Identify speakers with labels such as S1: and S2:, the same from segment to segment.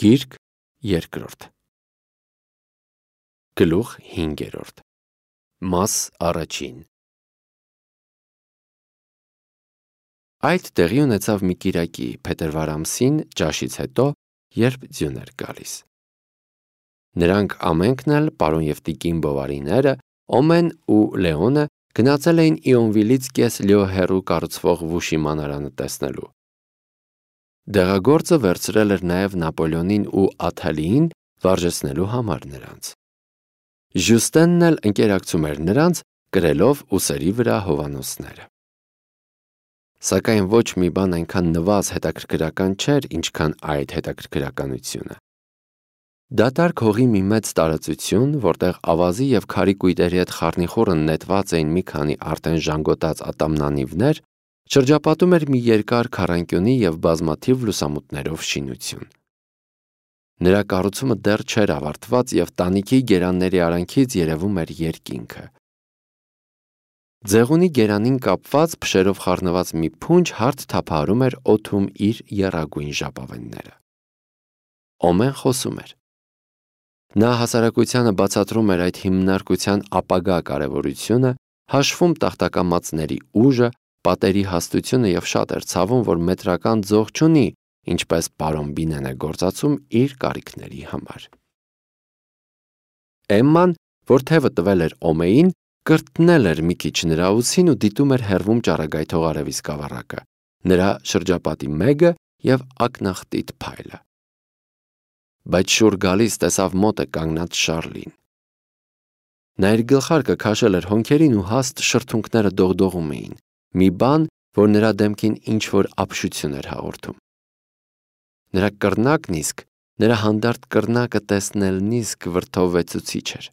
S1: Գիրք երկրորդ Գլուխ 5 Մաս առաջին Այդ տեղի ունեցավ մի կիրակի փետրվար ամսին ճաշից հետո, երբ ձյուն էր գալիս։ Նրանք ամենքն էլ պարոն և տիկին Բովարիները, Օմեն ու Լեոնը գնացել էին Իոնվիլից կես լյո հեռու կառուցվող Վուշի մանարանը տեսնելու։ Դեղագործը վերցրել էր նաև Նապոլեոնին ու Աթալիին վարժեցնելու համար նրանց։ Ժյուստենն էլ ընկերակցում էր նրանց, կրելով ուսերի վրա հովանոցները։ Սակայն ոչ մի բան այնքան նվազ հետաքրքրական չէր, ինչքան այդ հետաքրքրականությունը։ Դատարկ հողի մի մեծ տարածություն, որտեղ ավազի և քարի կույտերի հետ խառնիխուռն նետված էին մի քանի արդեն ժանգոտած ատամնանիվներ, շրջապատում էր մի երկար քառանկյունի և բազմաթիվ լուսամուտներով շինություն։ Նրա կառուցումը դեռ չէր ավարտված և տանիքի գերանների արանքից երևում էր երկինքը։ Ձեղունի գերանին կապված փշերով խառնված մի փունջ հարթ թափահարում էր օդում իր եռագույն ժապավենները։ Օմեն խոսում էր։ Նա հասարակությանը բացատրում էր այդ հիմնարկության ապագա կարևորությունը, հաշվում տախտակամածների ուժը, պատերի հաստությունը և շատ էր ցավում, որ մետրական ձող չունի, ինչպես պարոն Բինեն է գործածում իր կարիքների համար։ Էմման, որ թևը տվել էր Օմեին, կրտնել էր մի քիչ նրա ուսին ու դիտում էր հեռվում ճառագայթող արևի սկավառակը, նրա շրջապատի մեգը և ակնախտիտ փայլը։ Բայց շուռ գալիս տեսավ մոտ է կանգնած Շառլին։ Նա իր գլխարկը քաշել էր հոնքերին ու հաստ շրթունքները դողդողում էին, մի բան, որ նրա դեմքին ինչ-որ ապշություն էր հաղորդում։ Նրա կռնակն իսկ, նրա հանդարտ կռնակը տեսնելն իսկ վրդովվեցուցիչ էր։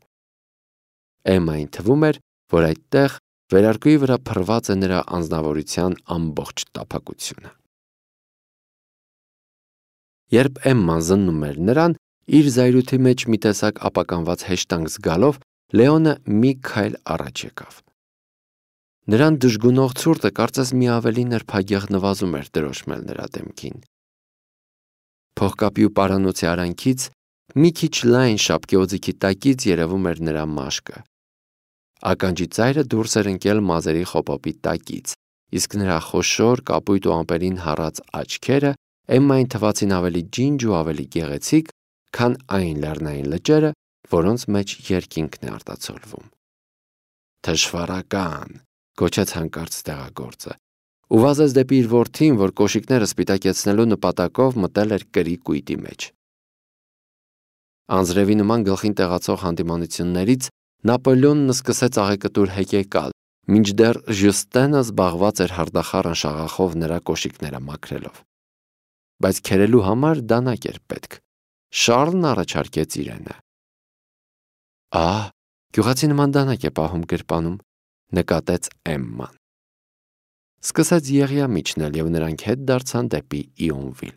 S1: Էմմային թվում էր, որ այդտեղ վերարկուի վրա փռված է նրա անձնավորության ամբողջ տափակությունը։ Երբ Էմման զննում էր նրան, իր զայրույթի մեջ մի տեսակ ապականված հեշտանք զգալով, Լեոնը մի քայլ առաջ եկավ։ Նրան դժգունող ցուրտը կարծես մի ավելի նրբագեղ նվազում էր դրոշմել նրա դեմքին։ Փողկապի ու պարանոցի արանքից մի քիչ լայն շապկի օձիքի տակից երևում էր նրա մաշկը։ Ականջի ծայրը դուրս էր ընկել մազերի խոպոպի տակից, իսկ նրա խոշոր կապույտ ու ամպերին հառած աչքերը Էմմային թվացին ավելի ջինջ ու ավելի գեղեցիկ, քան այն լեռնային լճերը, որոնց մեջ երկինքն է արտացոլվում։ Թշվառական, գոչեց հանկարծ տեղագործը, ու վազեց դեպի իր որդին, որ կոշիկները սպիտակեցնելու նպատակով մտել էր կրի կույտի մեջ։ Անձրևի նման գլխին տեղացող հանդիմանություններից Նապոլեոնն սկսեց աղեկտուր հեկեկալ, մինչդեռ Ժյուստենը զբաղված էր հարդախառն շաղախով նրա կոշիկները մաքրելով։ Բայց քերելու համար դանակ էր պետք։ Շառլն առաջարկեց իրենը։ Ահ, գյուղացի նման դանակ է պահում գրպանում, նկատեց Էմման։ Սկսեց եղյա միջնել և նրանք հետ դարձան դեպի Իոնվիլ։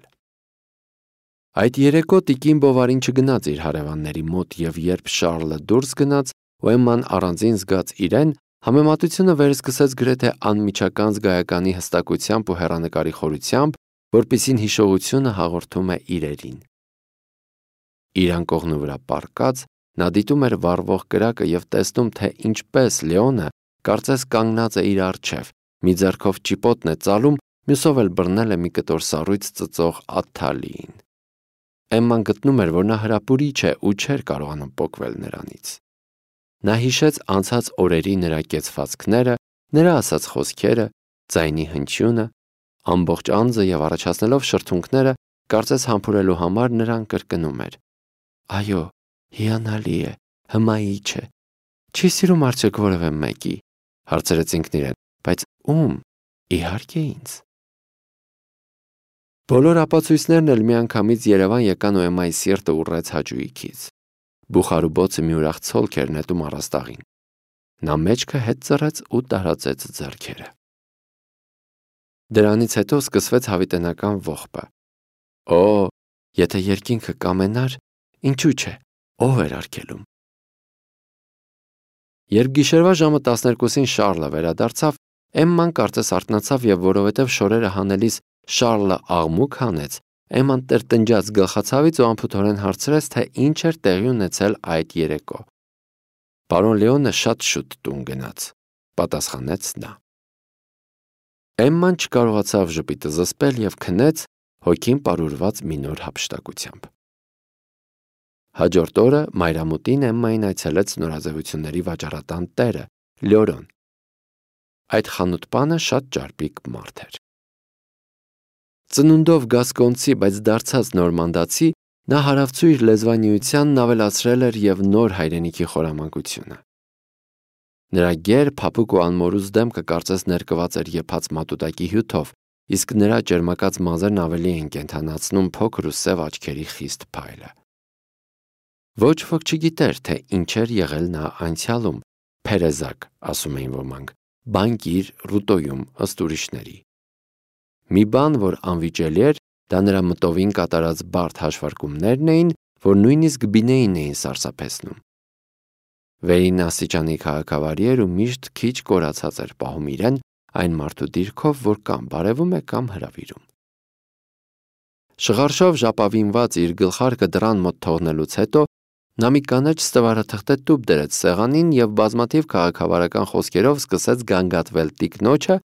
S1: Այդ երեկո տիկին Բովարին չգնաց իր հարևանների մոտ և երբ Շառլը դուրս գնաց ու Էմման առանձին զգաց իրեն, համեմատությունը վերսկսեց գրեթե անմիջական զգայականի հստակությամբ ու հեռանկարի խորությամբ, որպիսին հիշողությունը հաղորդում է իրերին։ Իր անկողնու վրա պառկած, նա դիտում էր վառվող կրակը և տեսնում, թե ինչպես Լեոնը կարծես կանգնած է իր առջև, մի ձեռքով ճիպոտն է ծալում, մյուսով էլ բռնել է մի կտոր սառույց ծծող Աթալիին։ Էմման գտնում էր, որ նա հրապուրիչ է ու չէր կարողանում պոկվել նրանից։ Նա հիշեց անցած օրերի նրա կեցվածքները, նրա ասած խոսքերը, ձայնի հնչյունը, ամբողջ անձը և առաջացնելով շրթունքները, կարծես համբուրելու համար նրան կրկնում էր. Այո, հիանալի է, հմայիչ է։ Չի սիրում արդյոք որևէ մեկի, հարցրեց ինքն իրեն, բայց ում, իհարկե ինձ։ Բոլոր ապացույցներն էլ միանգամից Երևան եկան ու Էմմայի սիրտը ուռեց հաճույքից։ Բուխարու մի ուրախ ցոլք էր նետում առաստաղին։ Նա մեջքը հետ ծռեց ու տարածեց ձեռքերը։ Դրանից հետո սկսվեց հավիտենական ողբը։ Օ, եթե երկինքը կամենար, ինչու՞ չէ, ով էր արգելում։ Երբ գիշերվա ժամը 12-ին Շառլը վերադարձավ, Էմման կարծես արթնացավ և որովհետև շորերը հանելիս Շառլը աղմուկ հանեց, Էմման տրտնջած գլխացավից ու անփութորեն հարցրեց, թե ինչ էր տեղի ունեցել այդ երեկո։ Պարոն Լեոնը շատ շուտ տուն գնաց, պատասխանեց նա։ Էմման չկարողացավ ժպիտը զսպել և քնեց, հոգին պարուրված մի նոր հափշտակությամբ։ Հաջորդ օրը մայրամուտին Էմմային այցելեց նորաձևությունների վաճառատան տերը, Լյորոն։ Այդ խանութպանը շատ ճարպիկ մարդ էր։ Ծնունդով գասկոնցի, բայց դարձած նորմանդացի, նա հարավցույր լեզվանիությանն ավելացրել էր և նոր հայրենիքի խորամանկությունը։ Նրա գեր, փափուկ ու անմորուց դեմքը կարծես ներկված էր եփած մատուտակի հյութով, իսկ նրա ճերմակած մազերն ավելի էին կենդանացնում փոքր ու սև աչքերի խիստ փայլը։ Ոչ ոք չգիտեր, թե ինչ էր եղել նա անցյալում, Փերեզակ, ասում էին ոմանք, բանկիր Ռուտոյում, ըստ ուրիշների։ Մի բան, որ անվիճելի էր, դա նրա մտովին կատարած բարդ հաշվարկումներն էին, որ նույնիսկ Բինեին էին սարսափեցնում։ Վերին աստիճանի քաղաքավարի էր ու միշտ քիչ կորացած էր պահում իրեն այն մարդու դիրքով, որ կամ բարևում է, կամ հրավիրում։ Շղարշով ժապավինված իր գլխարկը դռան մոտ թողնելուց հետո նա մի կանաչ ստվարաթղթե տուփ դրեց սեղանին և բազմաթիվ քաղաքավարական խոսքերով սկսեց գանգատվել տիկնոջը,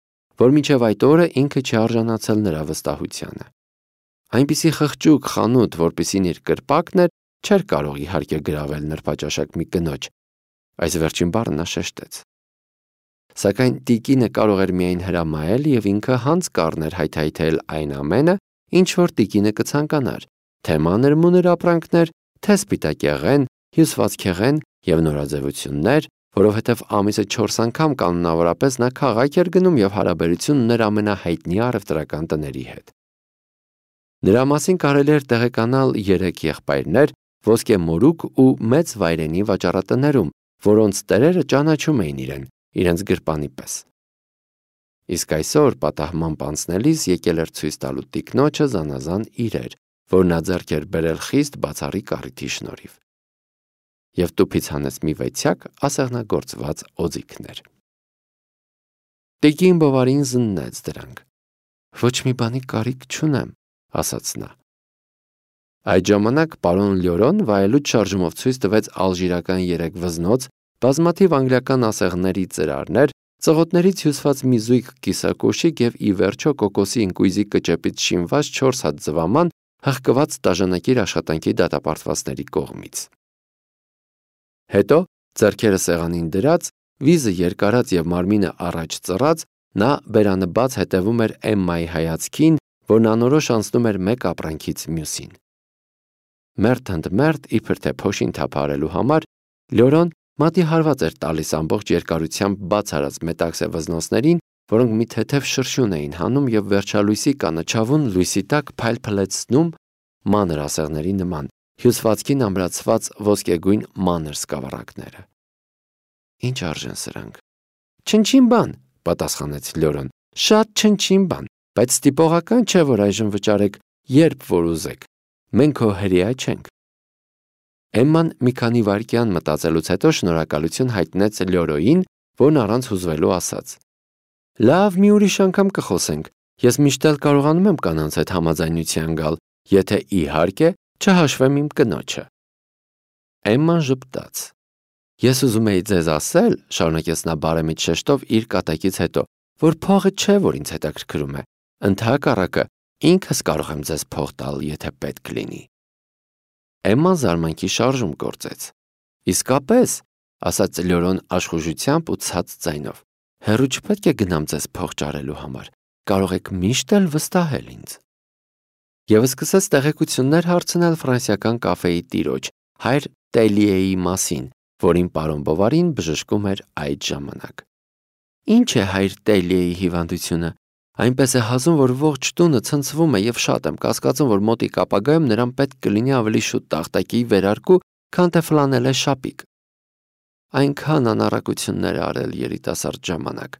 S1: որ մինչև այդ օրը ինքը չի արժանացել նրա վստահությանը։ Այնպիսի խղճուկ խանութ, որպիսին իր կրպակն էր, չէր կարող իհարկե գրավել նրբաճաշակ մի կնոջ, այս վերջին բառը նա շեշտեց։ Սակայն տիկինը կարող էր միայն հրամայել և ինքը հանց կառներ հայթայթել այն ամենը, ինչ որ տիկինը կցանկանար, թե մանր-մունր ապրանքներ, թե սպիտակեղեն, հյուսվածքեղեն և նորաձևություններ, որովհետև ամիսը 4 անգամ կանոնավորապես նա քաղաք էր գնում և հարաբերություն ուներ ամենահայտնի առևտրական տների հետ։ Նրա մասին կարելի էր տեղեկանալ 3 եղբայրներ ոսկե մորուք ու մեծ վայրենի վաճառատներում, որոնց տերերը ճանաչում էին իրեն, իրենց գրպանի պես։ Իսկ այսօր պատահմամբ անցնելիս եկել էր ցույց տալու տիկնոջը զանազան իրեր, որ նա ձեռք էր բերել խիստ բացառիկ առիթի շնորհիվ։ Եվ տուփից հանեց մի վեցյակ ասեղնագործված օձիքներ։ Տիկին Բովարին զննեց դրանք։ Ոչ մի բանի կարիք չունեմ, ասաց նա։ Այդ ժամանակ պարոն Լյորոն վայելուչ շարժումով ցույց տվեց ալժիրական 3 վզնոց, բազմաթիվ անգլիական ասեղների ծրարներ, ծղոտներից հյուսված մի զույգ կիսակոշիկ և ի վերջո կոկոսի ինկույզի կճեպից շինված 4 հատ ձվաման, հղկված տաժանակիր աշխատանքի դատապարտվածների կողմից։ Հետո, ձեռքերը սեղանին դրած, վիզը երկարած և մարմինը առաջ ծռած, նա բերանը բաց հետևում էր Էմմայի հայացքին, որն անորոշ անցնում էր մեկ ապրանքից մյուսին։ Մերթ ընդ մերթ, իբր թե փոշին թափահարելու համար, Լյորոն մատի հարված էր տալիս ամբողջ երկարությամբ բաց արած մետաքսե վզնոցներին, որոնք մի թեթև շրշյուն էին հանում և վերջալույսի կանաչավուն լույսի տակ փայլփլեցնում մանր ասեղների նման, հյուսվածքին ամրացված ոսկեգույն մանր սկավառակները։ Ինչ արժեն սրանք։ Չնչին բան, պատասխանեց Լյորոն, շատ չնչին բան, բայց ստիպողական չէ, որ այժմ վճարեք, երբ որ ուզեք։ Մենք քո հրեա չենք։ Էմման մի քանի վայրկյան մտածելուց հետո շնորհակալություն հայտնեց Լյորոյին, որն առանց հուզվելու ասաց. Լավ, մի ուրիշ անգամ կխոսենք։ Ես միշտ էլ կարողանում եմ կանանց հետ համաձայնության գալ, եթե իհարկե չհաշվեմ իմ կնոջը։ Էմման ժպտաց։ Ես ուզում էի ձեզ ասել, շարունակեց նա բարեմիտ շեշտով իր կատակից հետո, որ փողը չէ, որ ինձ հետաքրքրում է։ Ընդհակառակը, ինքս կարող եմ ձեզ փող տալ, եթե պետք լինի։ Էմման զարմանքի շարժում գործեց։ Իսկապես, ասաց Լյորոն աշխուժությամբ ու ցած ձայնով, հեռու չպետք է գնամ ձեզ փող ճարելու համար, կարող եք միշտ էլ վստահել ինձ։ Եվ սկսեց տեղեկություններ հարցնել ֆրանսիական կաֆեի տիրոջ, հայր Տելիեի մասին, որին պարոն Բովարին բժշկում էր այդ ժամանակ։ Ինչ է հայր Տելիեի հիվանդությունը։ Այնպես է հազում, որ ողջ տունը ցնցվում է և շատ եմ կասկածում, որ մոտիկ ապագայում նրան պետք կլինի ավելի շուտ տախտակի վերարկու, քան թե ֆլանելե շապիկ։ Այնքան անառակություններ է արել երիտասարդ ժամանակ։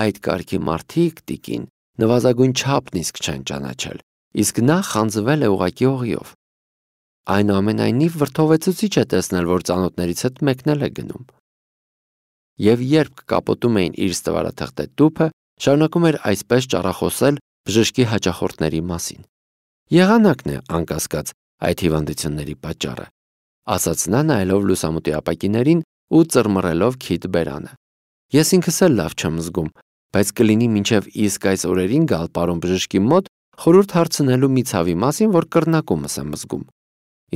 S1: Այդ կարգի մարդիկ, տիկին, նվազագույն չափն իսկ չեն ճանաչել, իսկ նա խանձվել է ուղղակի օղիով։ Այնուամենայնիվ վրդովեցուցիչ է տեսնել, որ ծանոթներից հետ մեկնել է գնում։ Եվ երբ կապոտում էին իր ստվարաթղթե տուփը, շարունակում էր այսպես ճառախոսել բժշկի հաճախորդների մասին։ Եղանակն է անկասկած այդ հիվանդությունների պատճառը, ասաց նա նայելով լուսամուտի ապակիներին ու ծռմռելով քիթ բերանը։ Ես ինքս էլ լավ չեմ զգում, բայց կլինի մինչև իսկ այս օրերին գալ պարոն բժշկի մոտ խորհուրդ հարցնելու մի ցավի մասին, որ կռնակումս եմ զգում։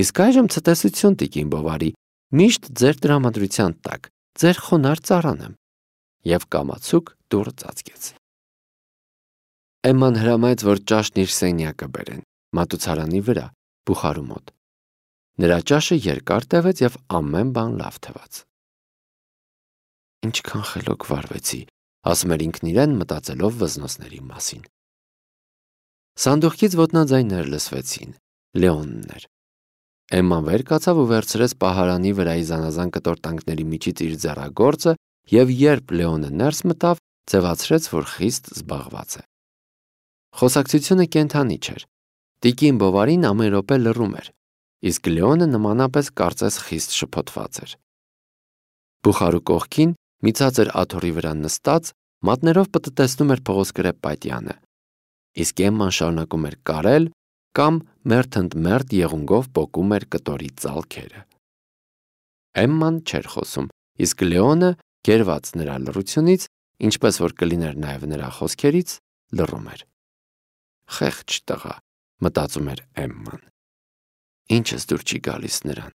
S1: Իսկ այժմ ցտեսություն տիկին Բովարի, միշտ ձեր տրամադրության տակ, ձեր խոնարհ ծառան եմ։ Եվ կամացուկ դուռը ծածկեց։ Էմման հրամայեց, որ ճաշն իր սենյակը բերեն, մատուցարանի վրա, բուխարու մոտ։ Նրա ճաշը երկար տևեց և ամեն բան լավ թվաց։ Ինչքան խելոք վարվեցի, ասում էր ինքն իրեն, մտածելով վզնոցների մասին։ Սանդուղքից ոտնաձայներ լսվեցին։ Լեոնն էր։ Էմման վեր կացավ ու վերցրեց պահարանի վրայի զանազան կտորտանքների միջից իր ձեռագործը և երբ Լեոնը ներս մտավ, ձևացրեց, որ խիստ զբաղված է։ Խոսակցությունը կենդանի չէր։ Տիկին Բովարին ամեն րոպե լռում էր, իսկ Լեոնը նմանապես կարծես խիստ շփոթված էր։ Բուխարու կողքին մի ցածր աթոռի վրա նստած մատներով պտտեցնում էր փղոսկրե պատյանը, իսկ Էմման շարունակում էր կարել կամ մերթընդմերթ եղունգով պոկում էր կտորի ծալքերը։ Էմման չէր խոսում, իսկ Լեոնը, գերված նրա լռությունից, ինչպես որ կլիներ նաև նրա խոսքերից, լռում էր։ Խեղճ տղա, մտածում էր Էմման։ Ինչս դուր չի գալիս նրան,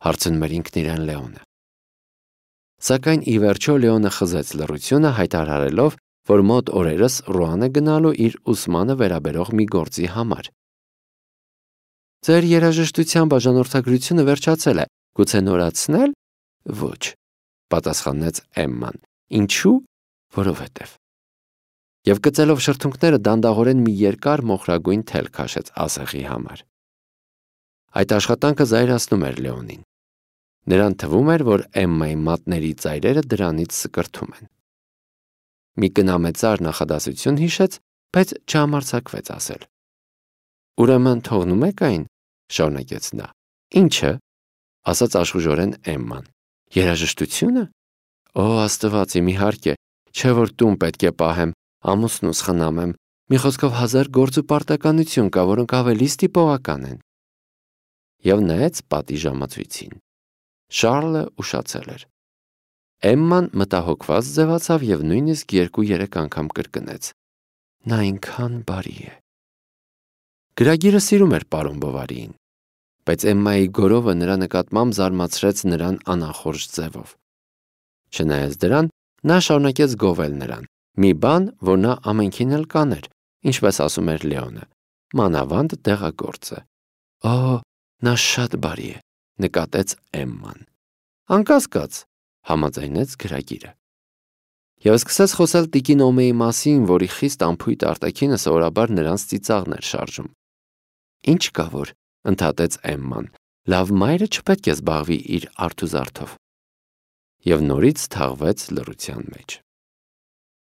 S1: հարցնում էր ինքն իրեն Լեոնը։ Սակայն ի վերջո Լեոնը խզեց լռությունը, հայտարարելով, որ մոտ օրերս Ռուան է գնալու իր ուսմանը վերաբերող մի գործի համար։ Ձեր երաժշտության բաժանորդագրությունը վերջացել է, գուցե նորացնել։ Ոչ, պատասխանեց Էմման։ Ինչու՞։ Որովհետև։ Եվ գծելով շրթունքները դանդաղորեն մի երկար մոխրագույն թել քաշեց ասեղի համար։ Այդ աշխատանքը զայրացնում էր Լեոնին։ Նրան թվում էր, որ Էմմայի մատների ծայրերը դրանից սկրթում են։ Մի կնամեծար նախադասություն հիշեց, բայց չհամարձակվեց ասել։ Ուրեմն թողնում եք այն, շարունակեց նա։ Ինչը, ասաց աշխուժորեն Էմման։ Երաժշտությունը։ Օ, Աստված իմ, իհարկե, չէ որ տուն պետք է պահեմ, ամուսնուս խնամեմ, մի խոսքով 1000 գործ ու պարտականություն կա, որոնք ավելի ստիպողական են։ Եվ նայեց պատի ժամացույցին։ Շառլը ուշացել էր։ Էմման մտահոգված ձևացավ և նույնիսկ 2-3 անգամ կրկնեց. Նա այնքան բարի է։ Գրագիրը սիրում էր պարոն Բովարիին, բայց Էմմայի գորովը նրա նկատմամբ զարմացրեց նրան անախորժ ձևով։ Չնայած դրան, նա շարունակեց գովել նրան, մի բան, որ նա ամենքին էլ կաներ, ինչպես ասում էր Լեոնը, մանավանդ դեղագործը։ Օ, նա շատ բարի է, նկատեց Էմման։ Անկասկած, համաձայնեց գրագիրը։ Եվ սկսեց խոսել տիկին Օմեի մասին, որի խիստ անփույթ արտաքինը սովորաբար նրանց ծիծաղն էր շարժում։ Ինչ կա որ, ընդհատեց Էմման, լավ մայրը չպետք է զբաղվի իր արթուզարդով։ Եվ նորից թաղվեց լռության մեջ։